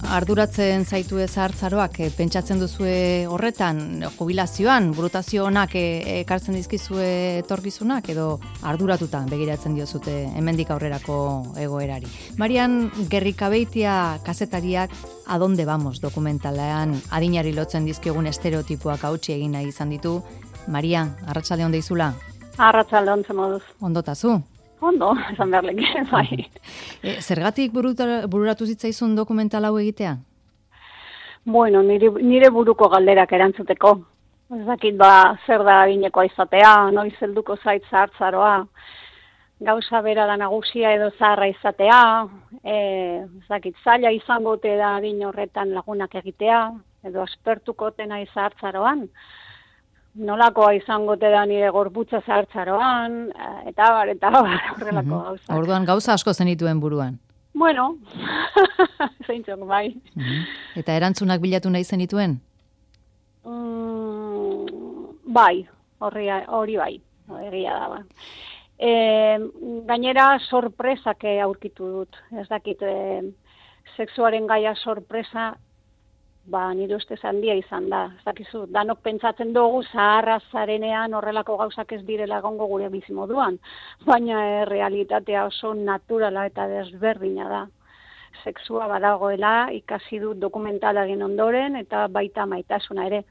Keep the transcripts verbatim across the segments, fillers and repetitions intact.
arduratzen zaitu ezartzaroak, e, pentsatzen duzue horretan, jubilazioan, burutazio honak e, ekartzen dizkizue etorkizunak, edo arduratuta begiratzen diozute hemendik aurrerako egoerari. Marian Gerrikabeitia kazetariak Adonde Vamos dokumentalean adinari lotzen dizkiogun estereotipoak hautsi egin nahi izan ditu. Maria, arratsalde on deizula? Arratsalde on moduz. Ondotazu? Ondo, esan behar leke, bai. E, zergatik bururatu zitzaizun dokumental hau egitea? Bueno, nire, nire buruko galderak erantzuteko. Ez dakit ba, zer da adinekoa izatea, noiz helduko zait zahartzaroa, gauza bera da nagusia edo zaharra izatea, e, ez dakit zaila izango te da adin horretan lagunak egitea, edo aspertuko tena zahartzaroan, nolakoa izango te da nire gorputza zahartzaroan, eta bar, eta bar, horrelako uh-huh. gauza. Orduan gauza asko zenituen buruan? Bueno, zeintzok, bai. Uh-huh. Eta erantzunak bilatu nahi zenituen? Mm, bai, hori, hori bai, egia da, ba. E, gainera sorpresak aurkitu dut, ez dakit, e, sexuaren gaia sorpresa, ba, nire ustez handia izan da. Ez dakizu, danok pentsatzen dugu zaharra zarenean horrelako gauzak ez direla egongo gure bizimoduan, baina e, realitatea oso naturala eta desberdina da. Sexua badagoela, ikasi dut dokumentalaren ondoren eta baita maitasuna ere.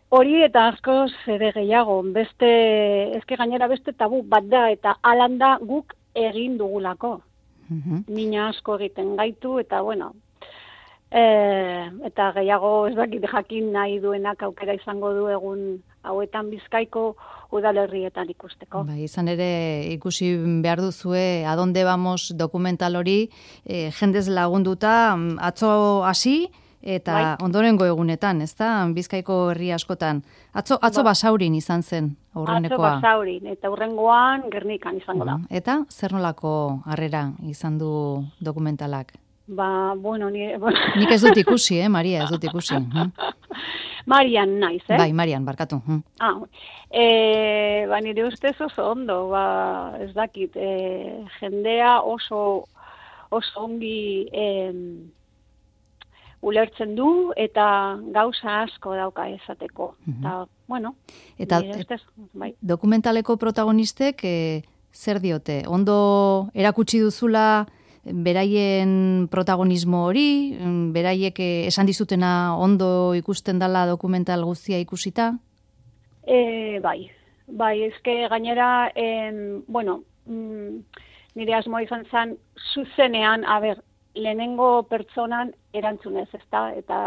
Hori eta askoz ere gehiago, beste, ezke gainera beste tabu bat da eta alanda guk egin dugulako. Uh-huh. Mina asko egiten gaitu eta bueno, E, eta gehiago ez dakit jakin nahi duenak aukera izango du egun hauetan Bizkaiko udalerrietan ikusteko. Bai, izan ere ikusi behar duzue Adonde Vamos dokumental hori e, jendez lagunduta atzo hasi eta bai. Ondorengo egunetan, ezta? Bizkaiko herri askotan. Atzo, atzo ba. Basaurin izan zen aurrenekoa. Atzo Basaurin eta hurrengoan Gernikan izango da. Eta zer nolako harrera izan du dokumentalak? Ba, bueno, ni... Nik ez dut ikusi, eh, Maria, ez dut ikusi. Hm? Marian naiz, eh? Bai, Marian, barkatu. Hm. Ah, e, ba, nire ustez oso ondo, ba, ez dakit, e, jendea oso, oso ongi e, ulertzen du eta gauza asko dauka esateko. Uh-huh. Eta, bueno, eta, nire ustez, bai. Dokumentaleko protagonistek e, zer diote? Ondo erakutsi duzula beraien protagonismo hori, beraiek esan dizutena ondo ikusten dela dokumental guztia ikusita? E, bai, bai, ezke gainera, en, bueno, mm, nire asmoa izan zen, zuzenean, a ber, lehenengo pertsonan erantzunez, ezta? Eta,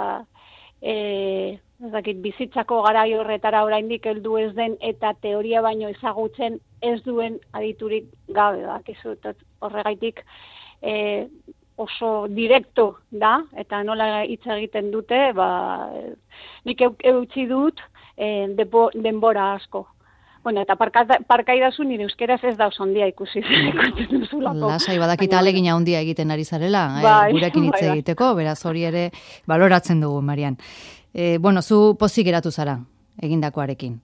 e, ez dakit, bizitzako garai horretara oraindik heldu ez den, eta teoria baino ezagutzen ez duen aditurik gabe, bakizu, horregaitik, E, oso direkto da, eta nola hitz egiten dute, ba, nik eutzi dut e, depo, denbora asko. Bueno, eta parkaidazu nire euskeraz ez da oso handia ikusi ikusten duzulako. Lasai badakita alegina handia egiten ari zarela, bai, eh, gurekin hitz bai, egiteko, beraz hori ere baloratzen dugu, Marian. E, bueno, zu pozik geratu zara, egindakoarekin.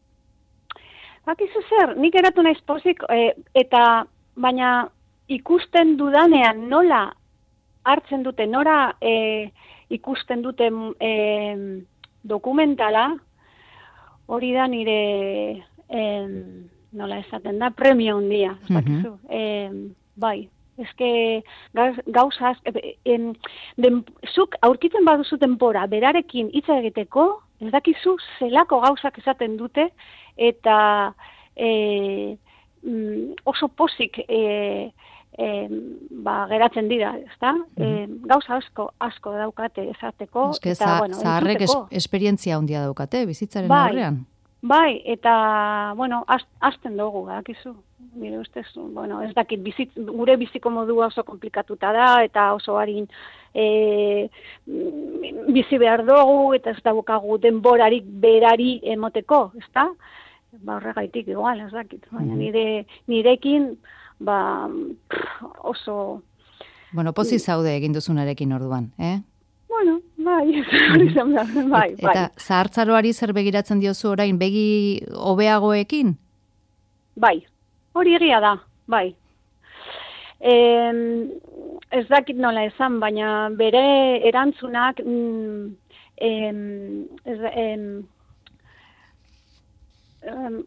Bakizu zer, nik geratu naiz pozik, e, eta baina ikusten dudanean nola hartzen dute, nora e, ikusten dute e, dokumentala, hori da nire, e, nola esaten da, premio handia. Uh-huh. e, bai, ezke gauza, en, den, zuk aurkitzen baduzu denbora, berarekin hitz egiteko, ez dakizu zelako gauzak esaten dute, eta e, oso pozik e, E, ba, geratzen dira, ezta? E, gauza asko, asko daukate esateko. Eske, eta, za, bueno, zaharrek es, esperientzia handia daukate, bizitzaren bai, aurrean. Bai, eta, bueno, azten dugu, dakizu. Nire ustez, bueno, ez dakit, bizitz, gure biziko modua oso komplikatuta da, eta oso harin e, bizi behar dugu, eta ez daukagu denborarik berari emoteko, ezta? Ba, horregaitik, igual, ez dakit. Baina nire, nirekin, ba, oso... Bueno, pozik zaude egin duzunarekin orduan, eh? Bueno, bai, hori zen da, bai, bai. Eta zahartzaroari zer begiratzen diozu orain, begi hobeagoekin? Bai, hori egia da, bai. E, ez dakit nola esan, baina bere erantzunak mm, em, ez, em, em,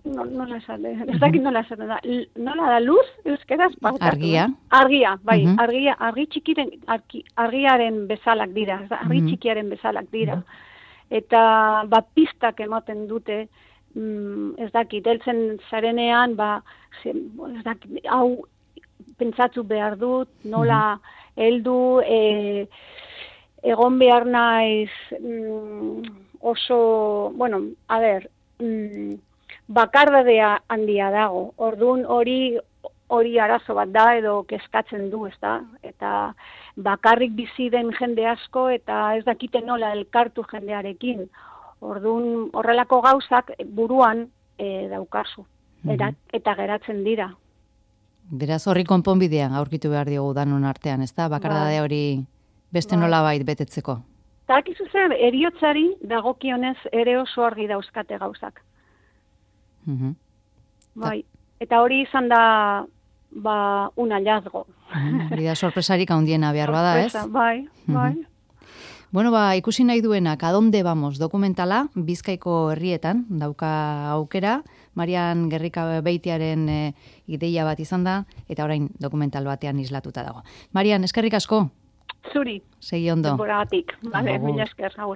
no, nola esan, ez dakit nola esan, da, nola da luz, euskeraz? Argia. Argia, bai, Uh-huh. argia, argi txikiren, argi, argiaren bezalak dira, argi Uh-huh. txikiaren bezalak dira. Eta ba, pistak ematen dute, mm, ez dakit, heltzen zarenean, ba, ze, ez dakit, hau pentsatu behar dut, nola heldu, e, egon behar naiz mm, oso, bueno, a ber, mm, bakardadea handia dago, orduan hori hori arazo bat da edo kezkatzen du, ez da? Eta bakarrik bizi den jende asko eta ez dakite nola elkartu jendearekin. Orduan horrelako gauzak buruan e, daukazu, eta, eta geratzen dira. Beraz horri konponbidean aurkitu behar diogu danon artean, ez da? Bakardade hori beste nolabait betetzeko. Eta akizu zer, eriotzari dagokionez ere oso argi dauzkate gauzak. Uh-huh. Bai, eta hori izan da ba, un hallazgo. Hori da sorpresarik handiena behar bada, ez? Bai, bai. Uh-huh. Bueno, ba, ikusi nahi duenak, Adonde Vamos dokumentala, Bizkaiko herrietan, dauka aukera, Marian Gerrika Beitiaren e, ideia bat izan da, eta orain dokumental batean islatuta dago. Marian, eskerrik asko? Zuri. Segi ondo. Denboragatik. Vale, mila esker, agur.